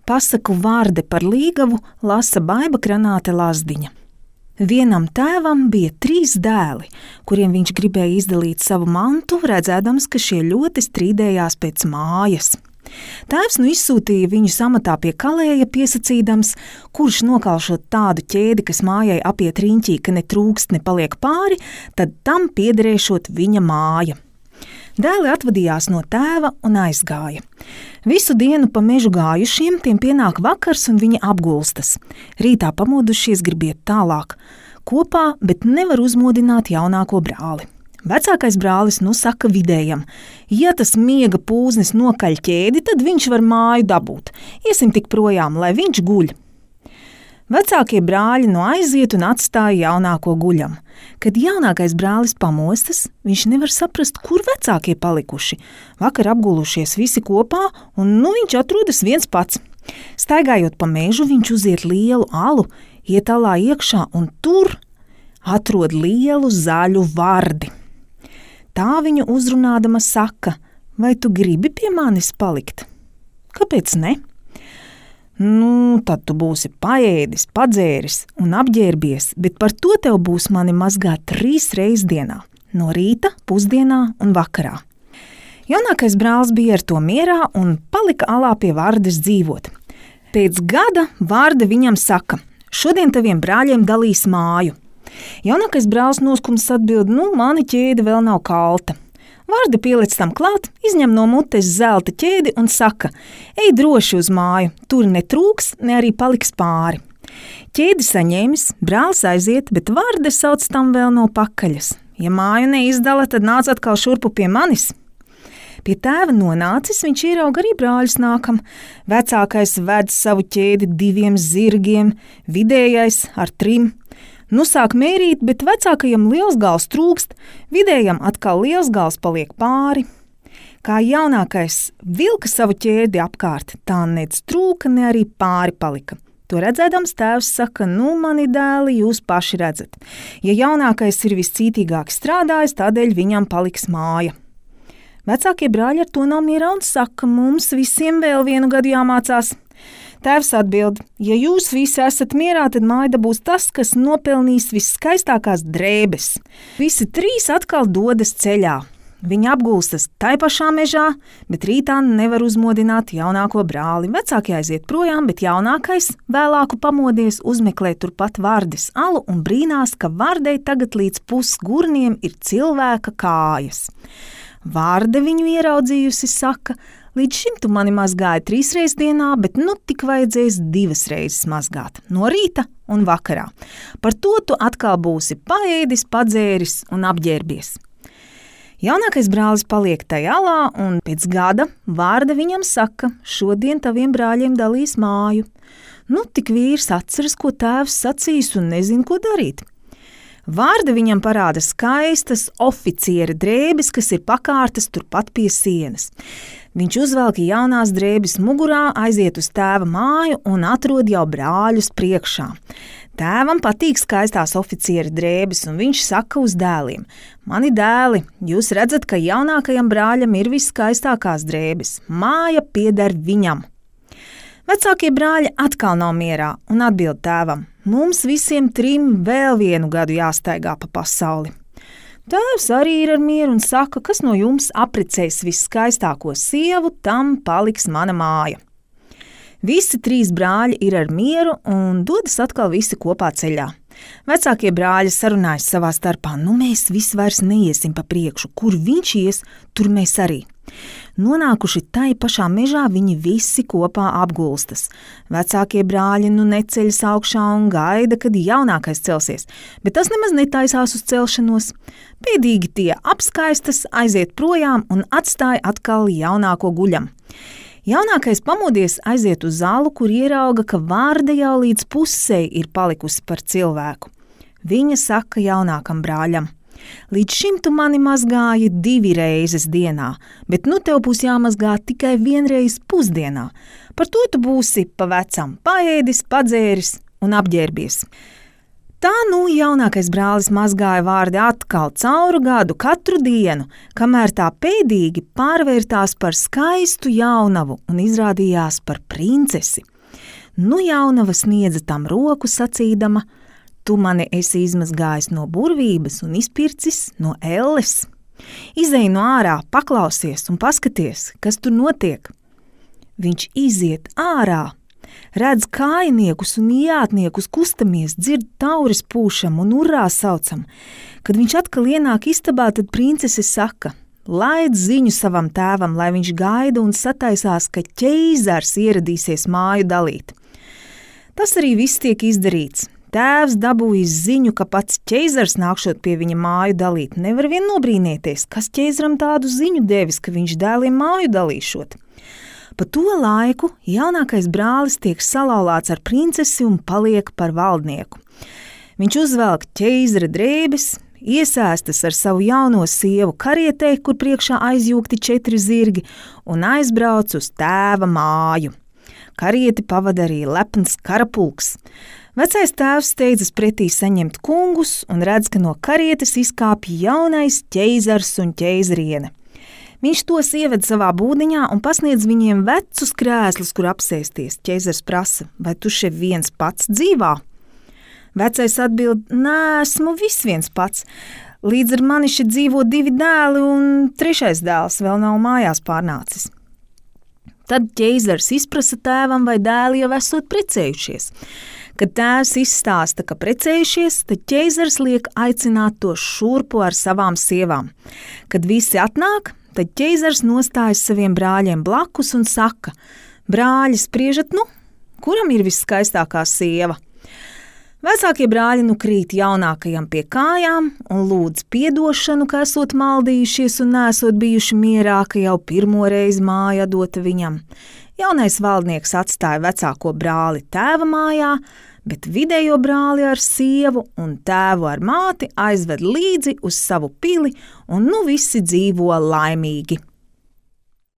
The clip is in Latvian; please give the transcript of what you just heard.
Pasaku Vārde par Līgavu lasa Baiba Kranāte Lazdiņa. Vienam tēvam bija 3 dēli, kuriem viņš gribēja izdalīt savu mantu, redzēdams, ka šie ļoti strīdējās pēc mājas. Tēvs izsūtīja viņus amatā pie kalēja, piesacīdams, kurš nokalšot tādu ķēdi, kas mājai apiet riņķī, ka ne trūkst, ne paliek pāri, tad tam piederēšot viņa māja. Dēli atvadījās no tēva un aizgāja. Visu dienu pa mežu gājušiem, tiem pienāk vakars un viņi apgulstas. Rītā pamodušies grib iet tālāk. Kopā, bet nevar uzmodināt jaunāko brāli. Vecākais brālis saka vidējam: ja tas miega pūznis nokaļ ķēdi, tad viņš var māju dabūt. Iesim tik projām, lai viņš guļ. Vecākie brāļi aiziet un atstāja jaunāko guļam. Kad jaunākais brālis pamostas, viņš nevar saprast, kur vecākie palikuši. Vakar apgulušies visi kopā, un viņš atrodas viens pats. Staigājot pa mežu, viņš uziet lielu alu, iet alā iekšā un tur atrod lielu zaļu vardi. Tā viņu uzrunādama saka: vai tu gribi pie manis palikt? Kāpēc ne? Tad tu būsi paēdis, padzēris un apģērbies, bet par to tev būs mani mazgāt 3 reizes dienā – no rīta, pusdienā un vakarā. Jaunākais brālis bija ar to mierā un palika alā pie Vardes dzīvot. Pēc gada Varde viņam saka: šodien taviem brāļiem dalīs māju. Jaunākais brālis noskums atbild: mani ķēde vēl nav kalta. Varde pieliec tam klāt, izņem no mutes zelta ķēdi un saka: ej droši uz māju, tur netrūks, ne arī paliks pāri. Ķēdi saņēmis, brālis aiziet, bet Varde sauc tam vēl no pakaļas: ja māju neizdala, tad nāc atkal šurpu pie manis. Pie tēva nonācis, viņš ierauga arī brāļus nākam. Vecākais ved savu ķēdi 2 zirgiem, vidējais ar 3. Sāk mērīt, bet vecākajam liels gals trūkst, vidējam atkal liels gals paliek pāri. Kā jaunākais vilka savu ķēdi apkārt, tā nec trūka, ne arī pāri palika. To redzēdams, tēvs saka: mani dēli, jūs paši redzat. Ja jaunākais ir viscītīgāk strādājis, tādēļ viņam paliks māja. Vecākie brāļi ar to nav mierā un saka: mums visiem vēl 1 gadu jāmācās. Tēvs atbild: ja jūs visi esat mierā, tad māja būs tas, kas nopelnīs viskaistākās drēbes. Visi 3 atkal dodas ceļā. Viņi apgulstas tai pašā mežā, bet rītā nevar uzmodināt jaunāko brāli. Vecākie aiziet projām, bet jaunākais, vēlāku pamodies, uzmeklē turpat Vardes alu un brīnās, ka Vardei tagad līdz pusgurniem ir cilvēka kājas. Varde viņu ieraudzījusi saka: līdz šim tu mani mazgāji 3 reizes dienā, bet tik vajadzēs 2 reizes mazgāt, no rīta un vakarā. Par to tu atkal būsi paēdis, padzēris un apģērbies. Jaunākais brālis paliek tajā alā, un pēc gada Varde viņam saka: šodien taviem brāļiem dalīs māju. Tik vīrs atceras, ko tēvs sacījis un nezin, ko darīt. Varde viņam parāda skaistas oficiera drēbes, kas ir pakārtas turpat pie sienas. Viņš uzvelk jaunās drēbes mugurā, aiziet uz tēva māju un atrod jau brāļus priekšā. Tēvam patīk skaistās oficiera drēbes, un viņš saka uz dēliem: mani dēli, jūs redzat, ka jaunākajam brāļam ir viskaistākās drēbes. Māja pieder viņam. Vecākie brāļi atkal nav mierā un atbild tēvam: mums visiem 3 vēl 1 gadu jāstaigā pa pasauli. Tēvs arī ir ar mieru un saka: kas no jums apprecēs viskaistāko sievu, tam paliks mana māja. Visi 3 brāļi ir ar mieru un dodas atkal visi kopā ceļā. Vecākie brāļi sarunājas savā starpā: mēs visi vairs neiesim pa priekšu, kur viņš ies, tur mēs arī. Nonākuši tai pašā mežā, viņi visi kopā apgulstas. Vecākie brāļi neceļas augšā un gaida, kad jaunākais celsies, bet tas nemaz netaisās uz celšanos. Pēdīgi tie apskaistas, aiziet projām un atstāja atkal jaunāko guļam. Jaunākais pamodies, aiziet uz zalu, kur ierauga, ka Varde jau līdz pusei ir palikusi par cilvēku. Viņa saka jaunākam brāļam: līdz šim tu mani mazgāji 2 reizes dienā, bet tev būs jāmazgā tikai 1 reizi pusdienā. Par to tu būsi pa vecam paēdis, padzēris un apģērbies. Tā jaunākais brālis mazgāja Vardi atkal cauru gadu, katru dienu, kamēr tā pēdīgi pārvērtās par skaistu jaunavu un izrādījās par princesi. Nu jaunava sniedza tam roku sacīdama: tu mani esi izmazgājis no burvības un izpircis no elles. Izej no ārā, paklausies un paskaties, kas tur notiek. Viņš iziet ārā, redz kājiniekus un jātniekus kustamies, dzird tauris pūšam un urrā saucam. Kad viņš atkal ienāk istabā, tad princese saka: laid ziņu savam tēvam, lai viņš gaida un sataisās, ka ķeizars ieradīsies māju dalīt. Tas arī viss tiek izdarīts. Tēvs dabūjis ziņu, ka pats ķeizars nākšot pie viņa māju dalīt. Nevar vien nobrīnīties, kas ķeizaram tādu ziņu devis, ka viņš dēliem māju dalīšot. Pa to laiku jaunākais brālis tiek salauzts ar princesi un paliek par valdnieku. Viņš uzvelk ķeizara drēbes, iesēstas ar savu jauno sievu karietē, kur priekšā aizjūgti 4 zirgi, un aizbrauc uz tēva māju. Karieti pavada arī lepns karapulks. Vecais tēvs steidzas pretī saņemt kungus un redz, ka no karietes izkāpj jaunais ķeizars un ķeizariene. Viņš tos ieved savā būdiņā un pasniedz viņiem vecus krēslus, kur apsēsties. Ķeizars prasa: vai tu šeit viens pats dzīvā? Vecais atbild: neesmu viens pats. Līdz ar mani šeit dzīvo 2 dēli un 3. dēls vēl nav mājās pārnācis. Tad ķeizars izprasa tēvam, vai dēli jau esot precējušies. Kad tēvs izstāsta, ka precējušies, tad ķeizars liek aicināt to šurpu ar savām sievām. Kad visi atnāk, tad ķeizars nostājas saviem brāļiem blakus un saka: brāļi, spriežat kuram ir viskaistākā sieva? Vecākie brāļi krīt jaunākajam pie kājām un lūdz piedošanu, ka esot maldījušies un nesot bijuši mierā, ka jau pirmo reizi māja dota viņam. Jaunais valdnieks atstāja vecāko brāli tēva mājā, bet vidējo brāli ar sievu un tēvu ar māti aizved līdzi uz savu pili, un visi dzīvo laimīgi.